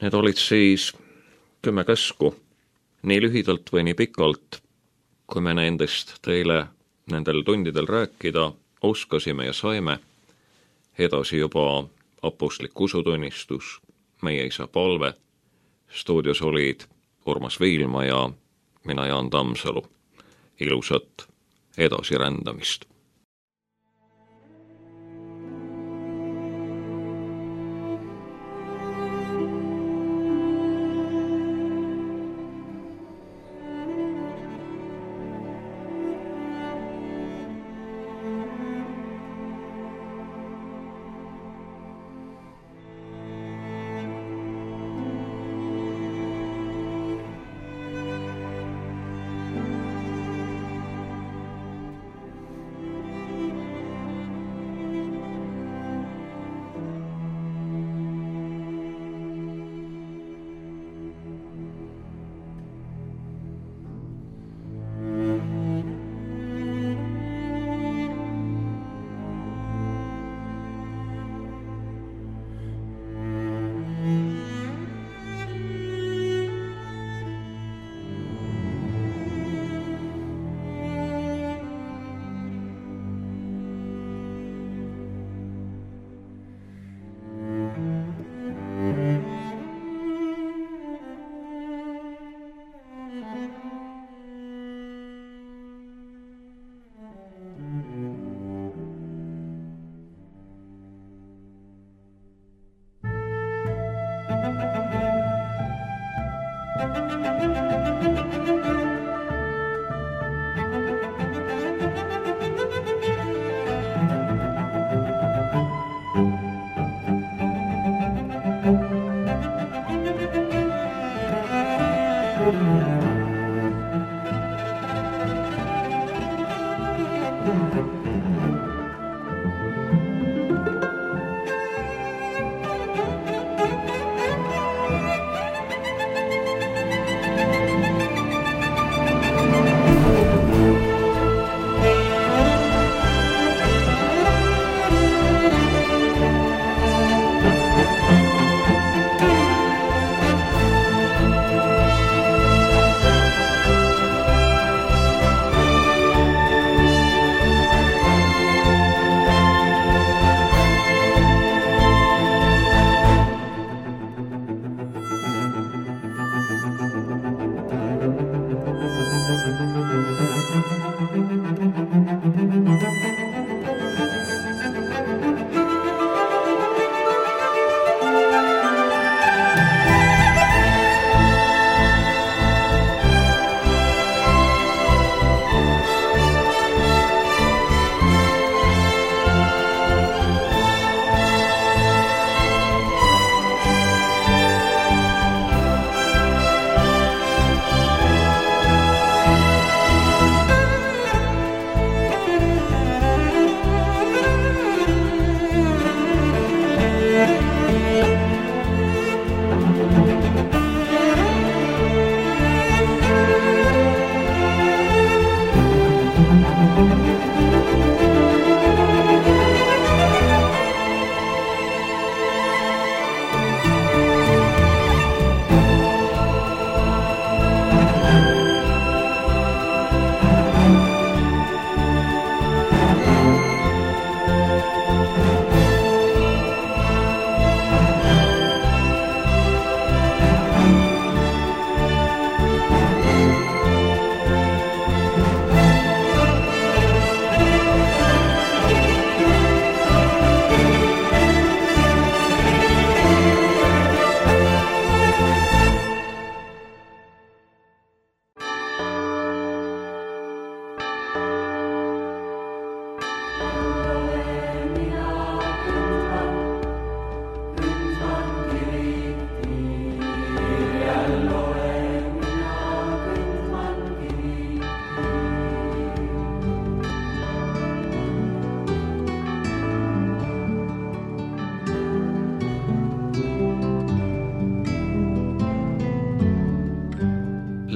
Need olid siis kümme käsku, nii lühidalt või nii pikalt, kui me nendest teile nendel tundidel rääkida oskasime ja saime. Edasi juba apostlik usutunnistus, meie isa palve, stuudios olid Urmas Viilma ja mina Jaan Tammsalu. Ilusat edasirändamist!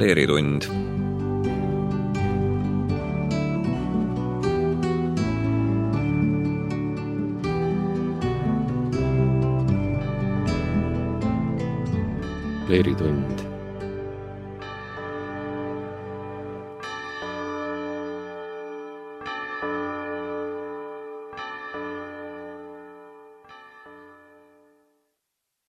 Leeritund. Leeritund